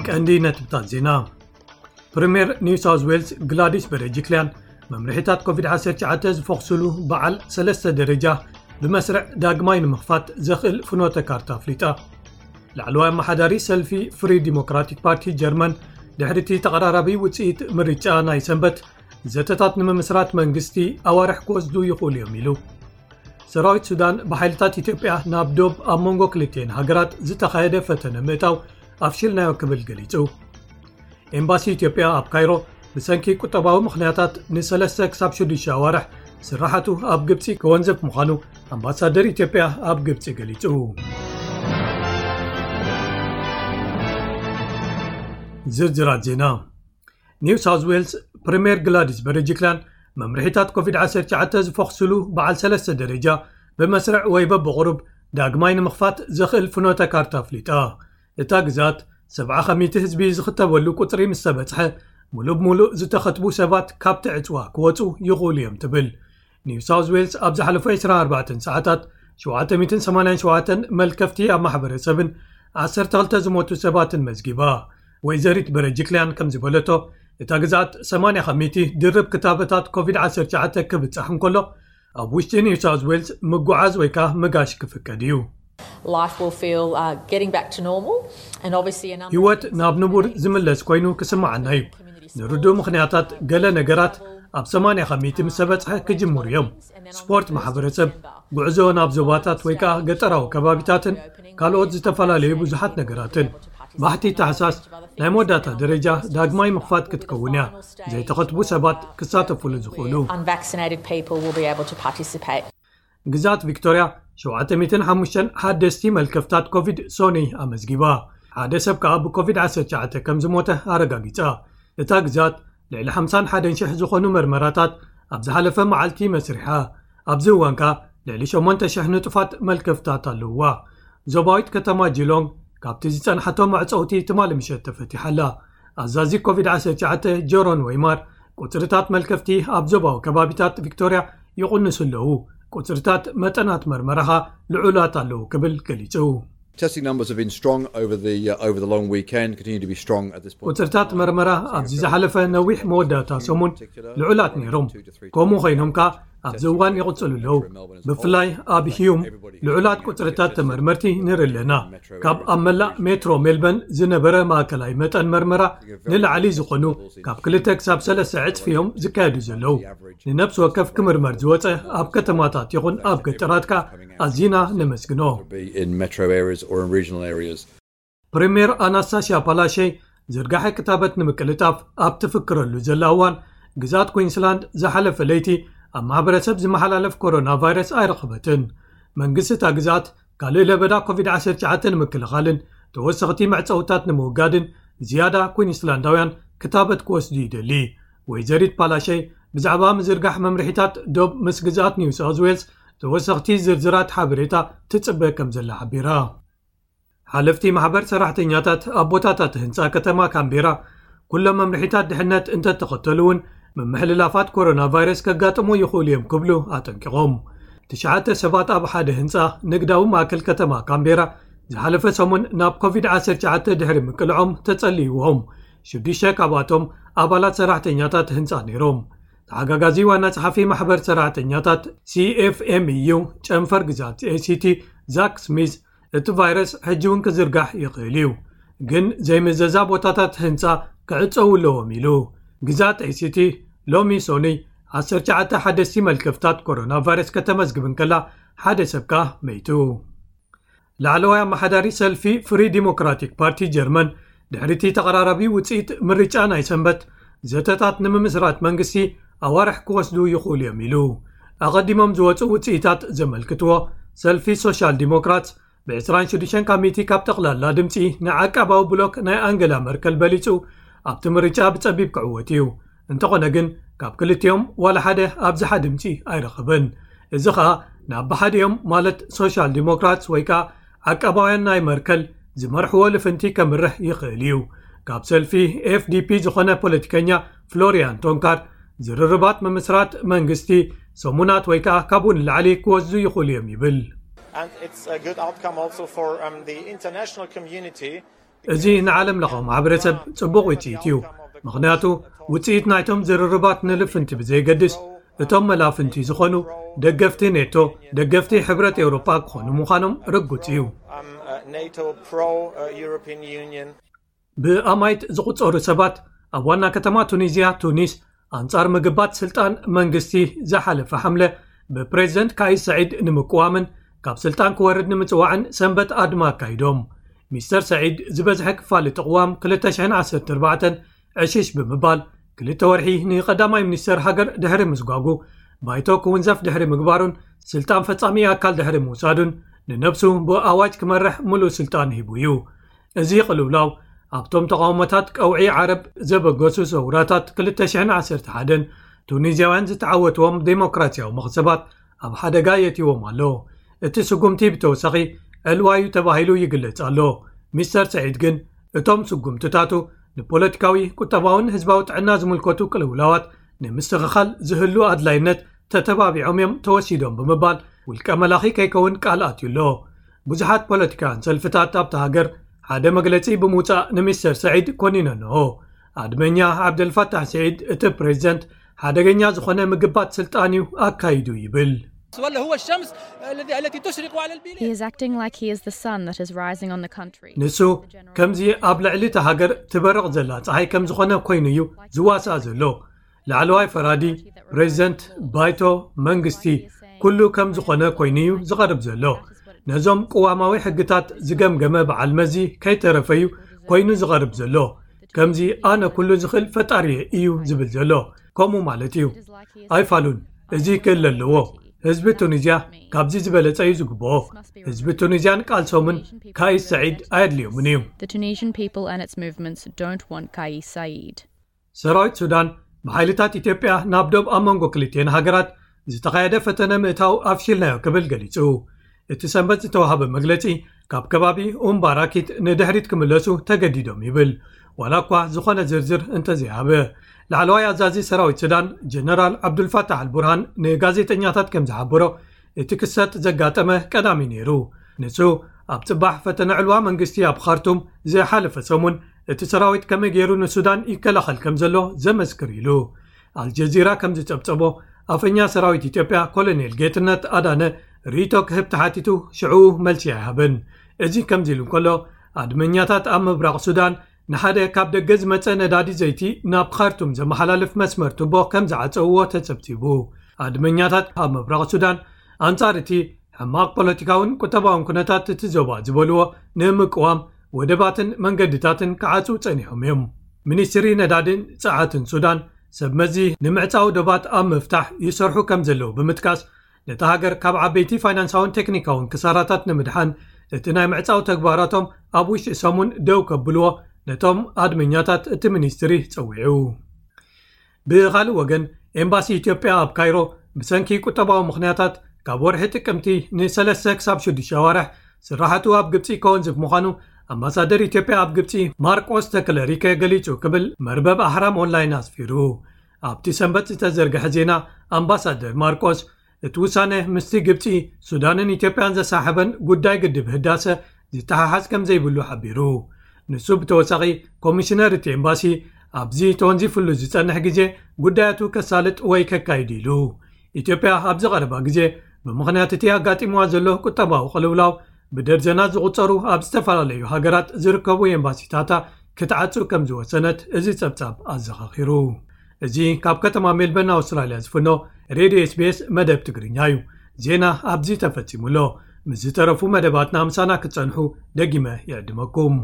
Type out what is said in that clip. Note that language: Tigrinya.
ቀንዲ ነጥብታት ዜና። ፕሪምየር ኒው ሳውዝ ዌልስ ግላዲስ በረጅክልያን፣ መምርሒታት ኮቪድ ዓሰርተ ትሽዓተ ዝፈኽስሉ በዓል ሰለስተ ደረጃ ብመስርዕ ዳግማይ ንምኽፋት ዘኽእል ፍኖተ ካርታ ኣፍሊጣ። ላዕለዋይ ኣመሓዳሪ ሰልፊ ፍሪ ዲሞክራቲክ ፓርቲ ጀርመን፣ ድሕሪ እቲ ተቐራራቢ ውጽኢት ምርጫ ናይ ሰንበት፣ ዘተታት ንምምስራት መንግስቲ ኣዋርሕ ክወስዱ ይኽእሉ እዮም ኢሉ። ሰራዊት ሱዳን ብሓይልታት ኢትዮጵያ ናብ ዶብ ኣብ መንጎ ክልቲኤን ሃገራት ዝተኻየደ ፈተነ ምእታው ኣፍሽልናዮ ክብል ገሊጹ። ኤምባሲ ኢትዮጵያ ኣብ ካይሮ ብሰንኪ ቁጠባዊ ምኽንያታት ንሰለስተ ክሳብ ሽዱሽተ ኣዋርሕ ስራሓቱ ኣብ ግብጺ ክወንዘፍ ምዃኑ ኣምባሳደር ኢትዮጵያ ኣብ ግብጺ ገሊጹ። ዝርዝራት ዜና። ኒው ሳውዝ ዌልስ ፕሪምየር ግላዲስ በረጅክልያን፣ መምርሒታት ኮቪድ ዓሰርተ ትሽዓተ ዝፈኽስሉ በዓል ሰለስተ ደረጃ ብመስርዕ ወይ በብቑሩብ ዳግማይ ንምኽፋት ዘኽእል ፍኖተ ካርታ ኣፍሊጣ። እታ ግዛት ሰብዓ ከሚቲ ህዝቢ ዝኽተበሉ ቁጽሪ ምስ ተበጽሐ፣ ሙሉእ ብሙሉእ ዝተኸትቡ ሰባት ካብቲ ዕጽዋ ክወጹ ይኽእሉ እዮም ትብል። ኒው ሳውዝ ዌልስ ኣብ ዝሓለፉ ዕስራን ኣርባዕተን ሰዓታት ሸውዓተ ሚእትን ሰማንያን ሸውዓተን መልከፍቲ ኣብ ማሕበረሰብን ዓሰርተ ክልተ ዝሞቱ ሰባትን መዝጊባ። ወይዘሪት በረጅክልያን ከም ዝበለቶ፣ እታ ግዛት ሰማንያ ከሚቲ ድርብ ክታበታት ኮቪድ ዓሰርተ ትሽዓተ ክብጻሕ እንከሎ፣ ኣብ ውሽጢ ኒው ሳውዝ ዌልስ ምጉዓዝ ወይ ከኣ ምጋሽ ክፍቀድ እዩ። Life will feel uh, getting back to normal, and obviously a number ህይወት ናብ ንቡር ዝምለስ ኮይኑ ክስምዓና እዩ። ንርዱእ ምኽንያታት፣ ገለ ነገራት ኣብ ሰማንያ ከሚቲ ምስ ተበጽሐ ክጅምሩ እዮም። ስፖርት ማሕበረሰብ፣ ጉዕዞ ናብ ዞባታት ወይ ከኣ ገጠራዊ ከባቢታትን ካልኦት ዝተፈላለዩ ብዙሓት ነገራትን። ባሕቲ ታሕሳስ ናይ መወዳእታ ደረጃ ዳግማይ ምኽፋት ክትከውን እያ፣ ዘይተኸትቡ ሰባት ክሳተፉሉ ዝኽእሉ። Unvaccinated people will be able to participate. ግዛት ቪክቶርያ ሸውዓተ ሚእትን ሓሙሽተን ሓደስቲ መልከፍታት ኮቪድ ሶኒ ኣመዝጊባ። ሓደ ሰብ ከኣ ብኮቪድ ዓሰርተ ትሽዓተ ከም ዝሞተ ኣረጋጊጻ። እታ ግዛት ልዕሊ ሓምሳን ሓደን ሽሕ ዝኾኑ መርመራታት ኣብ ዝሓለፈ መዓልቲ መስሪሓ። ኣብዚ እዋን ከኣ ልዕሊ ሸሞንተ ሽሕ ንጡፋት መልከፍታት ኣለውዋ። ዞባዊት ከተማ ጂሎንግ ካብቲ ዝጸንሓቶ መዕጸውቲ ትማሊ ምሸት ተፈቲሓ ኣላ። ኣዛዚ ኮቪድ ዓሰርተ ትሽዓተ ጆሮን ወይማር፣ ቁጽርታት መልከፍቲ ኣብ ዞባዊ ከባቢታት ቪክቶርያ ይቕንሱ ኣለዉ፣ ቁጽርታት መጠናት መርመራኻ ልዑላት ኣለዉ ክብል ገሊጹ። Testing numbers have been strong over the uh, over the long weekend. Continue to be strong at this point. ቁጽርታት መርመራ ኣብዚ ዝሓለፈ ነዊሕ መወዳእታ ሰሙን ልዑላት ነይሮም። ከምኡ ኮይኖም ከኣ ኣብዚ እዋን ይቕጽሉ ኣለዉ። ብፍላይ ኣብ ሂዩም ልዑላት ቁጽርታት ተመርመርቲ ንርኢ ኣለና። ካብ ኣብ መላእ ሜትሮ ሜልበርን ዝነበረ ማእከላይ መጠን መርመራ ንላዕሊ ዝኾኑ ካብ ክልተ ክሳብ ሰለስተ ዕጽፊ እዮም ዝካየዱ ዘለዉ። ንነብሲ ወከፍ ክምርመር ዝወጸ ኣብ ከተማታት ይኹን ኣብ ገጠራት ከኣ ኣዚና ነመስግኖ። Be in metro areas or in regional areas. ፕሪምየር ኣናስታስያ ፓላሸይ ዝርጋሐ ክታበት ንምቅልጣፍ ኣብ ትፍክረሉ ዘላ እዋን፣ ግዛት ኩዊንስላንድ ዝሓለፈ ለይቲ ኣብ ማሕበረሰብ ዝመሓላለፍ ኮሮና ቫይረስ ኣይረኸበትን። መንግስቲ እታ ግዛት ካልእ ለበዳ ኮቪድ ዓሰርተ ትሽዓተ ንምክልኻልን ተወሰኽቲ መዕጸውታት ንምውጋድን ዝያዳ ኩዊንስላንዳውያን ክታበት ክወስዱ ይደሊ። ወይዘሪት ፓላሸይ ብዛዕባ ምዝርጋሕ መምርሒታት ዶብ ምስ ግዛት ኒው ሳውዝ ዌልስ ተወሰኽቲ ዝርዝራት ሓበሬታ ትጽበ ከም ዘላ ሓቢራ። ሓለፍቲ ማሕበር ሰራሕተኛታት ኣብ ቦታታት ህንጻ ከተማ ካምቤራ፣ ኩሎም መምርሒታት ድሕነት እንተተኸተሉ እውን ምምሕልላፋት ኮሮና ቫይረስ ከጋጥሙ ይኽእሉ እዮም ክብሉ ኣጠንቂቖም። ትሽዓተ ሰባት ኣብ ሓደ ህንጻ ንግዳዊ ማእከል ከተማ ካምቤራ ዝሓለፈ ሰሙን ናብ ኮቪድ ዓሰርተ ትሽዓተ ድሕሪ ምቅልዖም ተጸልይዎም። ሽዱሽተ ካብኣቶም ኣባላት ሰራሕተኛታት ህንጻ ነይሮም። ተሓጋጋዚ ዋና ጸሓፊ ማሕበር ሰራሕተኛታት ሲኤፍኤምዩ ጨንፈር ግዛት ኤሲቲ ዛክ ስሚዝ፣ እቲ ቫይረስ ሕጂ እውን ክዝርጋሕ ይኽእል እዩ፣ ግን ዘይምዘዛ ቦታታት ህንጻ ክዕጸዉ ኣለዎም ኢሉ። ግዛት ኤሲቲ ሎሚ ሶኒ ዓሰርተ ትሽዓተ ሓደስቲ መልከፍታት ኮሮና ቫይረስ ከተመዝግብ እንከላ፣ ሓደ ሰብ ከኣ መይቱ። ላዕለዋይ ኣመሓዳሪ ሰልፊ ፍሪ ዲሞክራቲክ ፓርቲ ጀርመን፣ ድሕሪ እቲ ተቐራራቢ ውጽኢት ምርጫ ናይ ሰንበት፣ ዘተታት ንምምስራት መንግስቲ ኣዋርሕ ክወስዱ ይኽእሉ እዮም ኢሉ። ኣቐዲሞም ዝወጹ ውጽኢታት ዘመልክትዎ፣ ሰልፊ ሶሻል ዲሞክራት ብዕስራን ሽዱሽተን ካብ ሚእቲ ካብ ጠቕላላ ድምጺ ንዓቃባዊ ብሎክ ናይ ኣንገላ መርከል በሊጹ ኣብቲ ምርጫ ብጸቢብ ክዕወት እዩ። እንተኾነ ግን ካብ ክልቲኦም ዋላ ሓደ ኣብዝሓ ድምጺ ኣይረኸበን። እዚ ኸኣ ናብ ብሓዲኦም ማለት ሶሻል ዲሞክራትስ ወይ ከኣ ዓቃባውያን ናይ መርከል ዝመርሕዎ ልፍንቲ ከምርሕ ይኽእል እዩ። ካብ ሰልፊ ኤፍዲፒ ዝኾነ ፖለቲከኛ ፍሎሪያን ቶንካር፣ ዝርርባት ምምስራት መንግስቲ ሰሙናት ወይ ከኣ ካብኡ ንላዕሊ ክወስዱ ይኽእሉ እዮም ይብል። And it's a good outcome also for um, the international community. እዚ ንዓለም ለኻዊ ማሕበረሰብ ጽቡቕ ውጽኢት እዩ። ምኽንያቱ ውጽኢት ናይቶም ዝርርባት ንልፍንቲ ብዘይገድስ፣ እቶም መላፍንቲ ዝኾኑ ደገፍቲ ኔቶ፣ ደገፍቲ ሕብረት ኤውሮጳ ክኾኑ ምዃኖም ርጉጽ እዩ። NATO pro European Union. ብኣማይት ዝቑጸሩ ሰባት ኣብ ዋና ከተማ ቱኒዝያ ቱኒስ ኣንጻር ምግባት ስልጣን መንግስቲ ዝሓለፈ ሓምለ ብፕሬዝደንት ካይስ ሰዒድ ንምቅዋምን ካብ ስልጣን ክወርድ ንምጽዋዕን ሰንበት ኣድማ ኣካይዶም። ሚስተር ሰዒድ ዝበዝሐ ክፋል እቲ ቅዋም ክልተ ሽሕን ዓሰርተ ኣርባዕተን ዕሽሽ ብምባል ክልተ ወርሒ ንቀዳማይ ሚኒስተር ሃገር ድሕሪ ምስጓጉ ባይቶ ክውንዘፍ ድሕሪ ምግባሩን ስልጣን ፈጻሚ ኣካል ድሕሪ ምውሳዱን ንነብሱ ብኣዋጅ ክመርሕ ምሉእ ስልጣን ሂቡ እዩ። እዚ ቅልውላው ኣብቶም ተቓውሞታት ቀውዒ ዓረብ ዘበገሱ ሰውራታት ክልተ ሽሕን ዓሰርተ ሓደን ቱኒዝያውያን ዝተዓወትዎም ዴሞክራሲያዊ መኽሰባት ኣብ ሓደጋ የእትይዎም ኣሎ። እቲ ስጉምቲ ብተወሳኺ ዕልዋዩ ተባሂሉ ይግለጽ ኣሎ። ሚስተር ሰዒድ ግን እቶም ስጉምትታቱ ንፖለቲካዊ፣ ቁጠባውን ህዝባዊ ጥዕና ዝምልከቱ ቅልውላዋት ንምስትኽኻል ዝህሉ ኣድላይነት ተተባቢዖም እዮም ተወሲዶም ብምባል ውልቀ መላኺ ከይከውን ቃል ኣትዩ ኣሎ። ብዙሓት ፖለቲካውያን ሰልፍታት ኣብታ ሃገር ሓደ መግለጺ ብምውጻእ ንሚስተር ሰዒድ ኮኒነንኦ። ኣድመኛ ዓብደልፋታሕ ሰዒድ እቲ ፕሬዝደንት ሓደገኛ ዝኾነ ምግባት ስልጣን እዩ ኣካይዱ ይብል። ولا هو الشمس الذي التي تشرق على البلاد. He is acting like he is the sun that is rising on the country. ንሱ ከምዚ ኣብ ልዕሊ እቲ ሃገር ትበርቕ ዘላ ፀሓይ ከም ዝኾነ ኮይኑ እዩ ዝዋሳእ ዘሎ። ላዕለዋይ ፈራዲ፣ ፕሬዝደንት፣ ባይቶ፣ መንግስቲ፣ ኩሉ ከም ዝኾነ ኮይኑ እዩ ዝቐርብ ዘሎ። ነዞም ቅዋማዊ ሕግታት ዝገምገመ በዓል መዚ ከይተረፈ እዩ ኮይኑ ዝቐርብ ዘሎ። ከምዚ ኣነ ኩሉ ዝኽእል ፈጣሪ እዩ ዝብል ዘሎ ከምኡ ማለት እዩ። ኣይፋሉን፣ እዚ ክእል ኣለዎ። ህዝቢ ቱኒዝያ ካብዚ ዝበለጸ እዩ ዝግብኦ። ህዝቢ ቱኒዝያን ቃልሶምን ካይስ ሰዒድ ኣየድልዮምን እዩ። The Tunisian people and its movements don't want Kais Saied. ሰራዊት ሱዳን ብሓይልታት ኢትዮጵያ ናብ ዶብ ኣብ መንጎ ክልቲኤን ሃገራት ዝተኻየደ ፈተነ ምእታው ኣፍሽልናዮ ክብል ገሊጹ። እቲ ሰንበት ዝተዋሃበ መግለጺ ካብ ከባቢ ኡምባራኪት ንድሕሪት ክምለሱ ተገዲዶም ይብል፣ ዋላ እኳ ዝኾነ ዝርዝር እንተዘይሃበ። ላዕለዋይ ኣዛዚ ሰራዊት ሱዳን ጀነራል ዓብዱልፋታሕ ኣልቡርሃን ንጋዜጠኛታት ከም ዝሓበሮ እቲ ክስተት ዘጋጠመ ቀዳሚ ነይሩ። ንሱ ኣብ ጽባሕ ፈተነ ዕልዋ መንግስቲ ኣብ ካርቱም ዝሓለፈ ሰሙን እቲ ሰራዊት ከመይ ገይሩ ንሱዳን ይከላኸል ከም ዘሎ ዘመስክር ኢሉ። ኣልጀዚራ ከም ዝጸብጸቦ ኣፈኛ ሰራዊት ኢትዮጵያ ኮሎኔል ጌትነት ኣዳነ ርእይቶ ክህብ ተሓቲቱ ሽዑ መልሲ ኣይሃበን። እዚ ከምዚ ኢሉ እንከሎ ኣድመኛታት ኣብ ምብራቕ ሱዳን ንሓደ ካብ ደገ ዝመጸ ነዳዲ ዘይቲ ናብ ካርቱም ዘመሓላልፍ መስመር ቱቦ ከም ዝዓጸውዎ ተጸብጺቡ። ኣድመኛታት ኣብ ምብራቕ ሱዳን ኣንጻር እቲ ሕማቕ ፖለቲካውን ቁጠባውን ኩነታት እቲ ዞባ ዝበልዎ ንምቅዋም ወደባትን መንገድታትን ክዓጽው ጸኒሖም እዮም። ሚኒስትሪ ነዳድን ጸዓትን ሱዳን ሰብ መዚ ንምዕጻው ዶባት ኣብ ምፍታሕ ይሰርሑ ከም ዘለዉ ብምጥቃስ ነታ ሃገር ካብ ዓበይቲ ፋይናንሳውን ቴክኒካውን ክሳራታት ንምድሓን እቲ ናይ ምዕጻው ተግባራቶም ኣብ ውሽጢ ሰሙን ደው ከብልዎ ነቶም ኣድመኛታት እቲ ሚኒስትሪ ጸዊዑ። ብኻልእ ወገን ኤምባሲ ኢትዮጵያ ኣብ ካይሮ ብሰንኪ ቁጠባዊ ምኽንያታት ካብ ወርሒ ጥቅምቲ ንሰለስተ ክሳብ ሽዱሽተ ኣዋርሕ ስራሕቱ ኣብ ግብፂ ከወንዝፍ ምዃኑ ኣምባሳደር ኢትዮጵያ ኣብ ግብፂ ማርቆስ ተክለሪከ ገሊጹ ክብል መርበብ ኣህራም ኦንላይን ኣስፊሩ። ኣብቲ ሰንበት ዝተዘርግሐ ዜና ኣምባሳደር ማርቆስ እቲ ውሳነ ምስቲ ግብፂ ሱዳንን ኢትዮጵያን ዘሳሕበን ጉዳይ ግድብ ህዳሰ ዝተሓሓዝ ከም ዘይብሉ ሓቢሩ። ንሱ ብተወሳኺ ኮሚሽነር እቲ ኤምባሲ ኣብዚ ተወንዚፍሉ ዝጸንሕ ግዜ ጉዳያቱ ከሳልጥ ወይ ከካይድ ኢሉ። ኢትዮጵያ ኣብዚ ቀረባ ግዜ ብምኽንያት እቲ ኣጋጢምዋ ዘሎ ቁጠባዊ ቅልውላው ብደርዘናት ዝቑጸሩ ኣብ ዝተፈላለዩ ሃገራት ዝርከቡ ኤምባሲታታ ክትዓጹ ከም ዝወሰነት እዚ ጸብጻብ ኣዘኻኺሩ። እዚ ካብ ከተማ ሜልበርን ኣውስትራልያ ዝፍኖ ሬድዮ ኤስቢኤስ መደብ ትግርኛ እዩ። ዜና ኣብዚ ተፈጺሙ ኣሎ። ምስ ዝተረፉ መደባትና ምሳና ክትጸንሑ ደጊመ ይዕድመኩም።